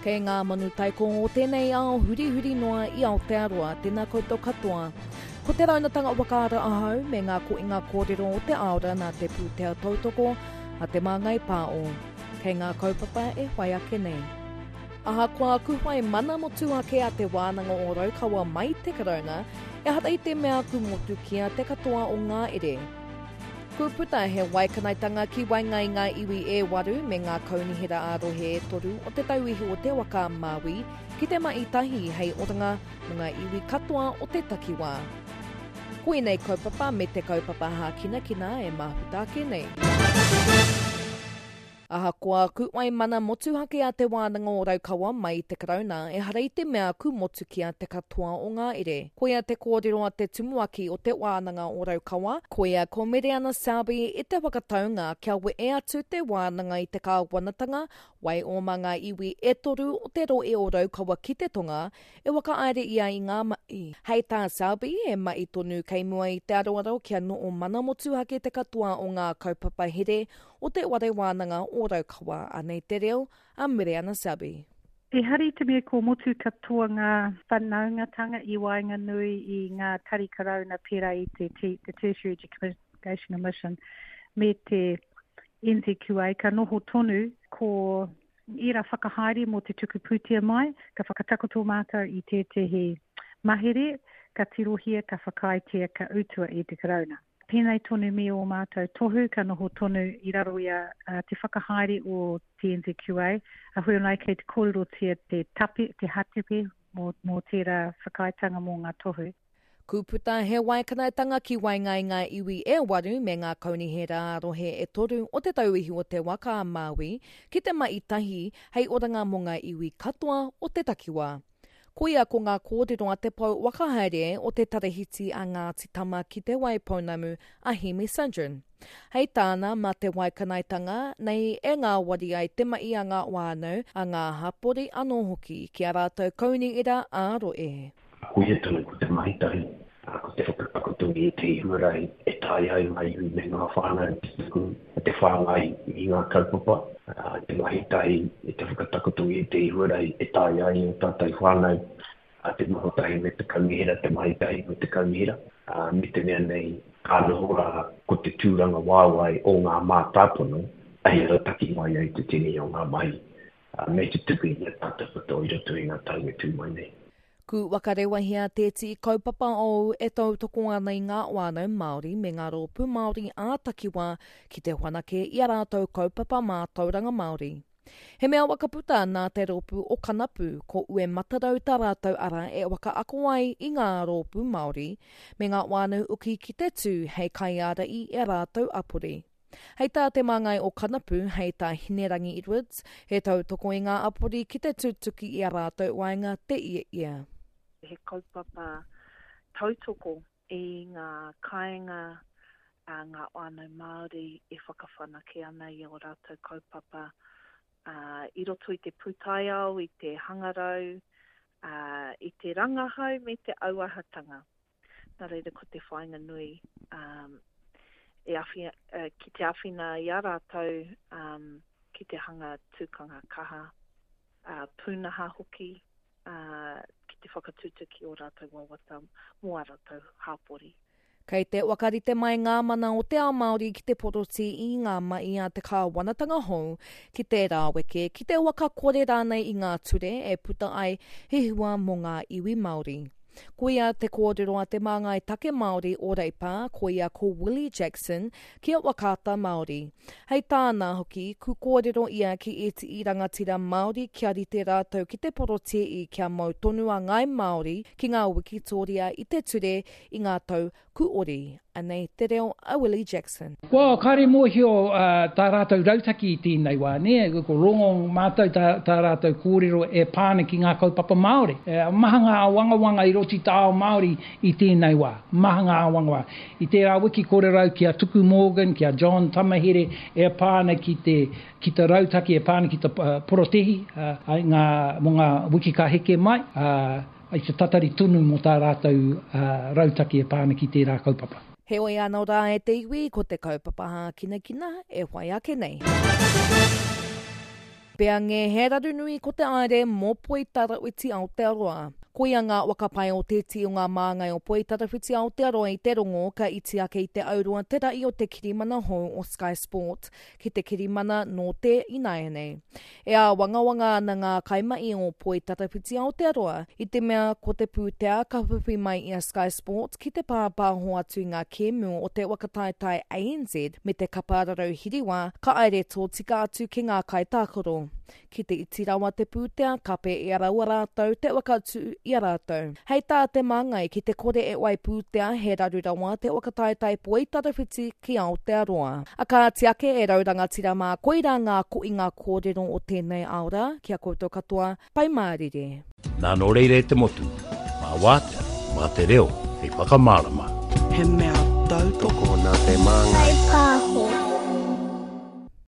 Kei ngā manu taiko o tēnei ao hurihuri noa i Aotearoa, tēnā koutou katoa. Ko te raunatanga whakaara ahau me ngā koinga kōrero o te aora nā te pūtea tautoko a Te Māngai Pāo. Kei ngā kaupapa e whai ake nei. Ahakoa ku whai mana motuhake a Te Wānanga o Raukawa mai te Karauna, ehara i te mea ku motukia te katoa o ngā ere. Ku puta he waikanaetanga ki waenga i ngā iwi e waru me ngā kaunihera ā-rohe e toru o Te Tauihu o Te Waka a Māui ki te mahi tahi hei oranga mō ngā iwi katoa o te takiwā. Ko ēnei kaupapa me te kaupapa hākinakina e mahuta ake nei. Ahakoa ku whai mana motuhake a Te Wānanga o Raukawa mai i te Karauna, ehara i te mea ku motukia te katoa o ngā ere. Koia te kōrero a te tumuaki o Te Wānanga o Raukawa, koia ko Mereana Selby i te whakataunga kia wehe atu te wānanga i te kāwanatanga, waioma ngā iwi e toru o te rohe o Raukawa ki te tonga, e whakahaere ia i ngā mahi. Hei tā Selby, he mahi tonu kei mua i te aroaro kia noho mana motuhake te katoa o ngā kaupapa here o Te Whare Wānanga o Raukawa, anei te reo a Mereana Selby. Ehara i te mea ko motu katoa ngā whanaungatanga i waenganui i ngā tari Karauna pērā i te te Tertiary Education Commission me te NZQA, ka noho tonu ko ērā whakahaere mō te tuku pūtea mai, ka whakatakoto mātou i tētehi mahere, ka tirohia, ka whakaaetia, ka utua e te Karauna. Pēnei tonu me ō mātou tohu ka noho tonu i raro i a te whakahaere o te NZQA, a hoi anō kei te kōrerotia te tape, te hatepe mō, mō tērā whakaaetanga mō ngā tohu. Kūputa he waikanaetanga ki waenga i ngā iwi e waru me ngā kaunihera ā-rohe e toru o Te Tauihu o Te Waka a Māui ki te mahi tahi hei oranga mō ngā iwi katoa o te takiwā. Koia ko ngā kōrero a te pou whakahaere o te tarahiti a Ngāti Tama ki Te Waipounamu, a Hemi Sundren. Hei tāna, mā te waikanaetanga nei e ngāwari ai te mahi a ngā whānau, a ngā hapori anō hoki, ki ā rātou kaunihera ā-rohe. Koia tonu ko te mahi tahi, ko te whakatakoto i ētahi huarahi e taea ai ngā iwi me ngā whānau te tuku, te whāngai i ngā kaupapa, te mahi tahi, te whakatakoto i ētahi huarahi e taea ai ō tātou whānau te noho tahi me te kaunihera, te mahi tahi me te kaunihera, me te mea nei ka noho rā ko te tūrangawaewae o ngā mātāpono hei rautaki mai ai te tini o ngā mahi me te tuku i ngā tātou katoa i roto i ngā tau e tū mai nei. Ku whakarewahia tēti kaupapa ou e tautoko ana i ngā whānau Māori me ngā rōpū Māori ā-takiwā ki te whanake i a rātou kaupapa mātauranga Māori. He mea whakaputa nā te rōpū o Kanapu, ko Uematarau tā rātou ara e whakaako ai i ngā rōpū Māori me ngā whānau uki ki te tū hei kaiārahi i a rātou apori. Hei tā te māngai o Kanapu, hei tā Hinerangi Edwards, he tautoko i ngā apori ki te tutuki i a rātou waenga te ia ia. He kaupapa tautoko i ngā kāinga a ngā whānau Māori e whakawhanake ana i ō rātou kaupapa i roto i te pūtaiao, i te hangarau, i te rangahau me te auahatanga. Nā reira ko te whāinga nui e awhi, ki te āwhina i a rātou ki te hanga tūkanga kaha, pūnaha hoki, ki te whakatutuki ō rātou wawata mō ā rātou hāpori. Kei te whakarite mai ngā mana o te ao Māori ki te porotī i ngā mahi a te kāwanatanga hou ki te rāweke, ki te whakakore rānei i ngā ture e puta ai he hua mō ngā iwi Māori. Koia te kōrero a te māngai take Māori o Reipa, koia ko Willie Jackson, ki a Whakaata Māori. Hei tāna hoki, ku kōrero ia ki ētihi rangatira Māori kia rite rātou ki te porotēi kia mau tonu a Ngāi Māori ki ngā wikitōria i te ture i ngā tau kuori. Anei te reo a Willie Jackson. Kua kāre mōhio tā rātou rautaki i tēnei wā, nē, ko rongo mātou tā, tā rātou kōrero e pā ana ki ngā kaupapa Māori. Maha ngā āwangawanga i roto i te ao Māori i tēnei wā, maha ngā āwangawanga. I tērā wiki kōrero au ki a Tuku Morgan, ki a John Tamahere e pā ana ki te, ki te rautaki e pā ana ki te porotehi, ā, ngā, mō ngā wiki ka heke mai, ā, I te tatari tonu mō tā rātou rautaki e pā ana ki tērā kaupapa. Heoi anō rā e te iwi, ko te kaupapa hākinakina e whai ake nei. Peange he raru nui ko te aere mō Poitarawhiti Aotearoa. Koia ngā waka pae o tēti o ngā māngai o Poitarawhiti Aotearoa i te rongo ka iti ake i te auroa te ra'i o te kirimana hou o Sky Sport ki te kirimana nō te ināianei. E āwangawanga ana ngā kaimahi o Poitarawhiti Aotearoa i te mea ko te pūtea ka whiwhi mai i a Sky Sport ki te pāpāho atu i ngā kēmu o te waka taetae ANZ me te kapa rarau hiriwa ka aere tōtika atu ki ngā kaitākaro. Ki te iti rawa te pūtea, kape i a raua rātou te whakatū i a rātou. Hei tā te māngai, ki te kore e wai pūtea, he raru rawa te whakataetae poitarawhiti ki Aotearoa. A kāti ake e rau rangatira mā, koirā ngā koinga kōrero o tēnei ao rā, ki a koutou katoa, pai mārire. Nā nō reira e te motu, mā wātea, mā te reo hei whakamārama. He mea tautoko nā te māngai.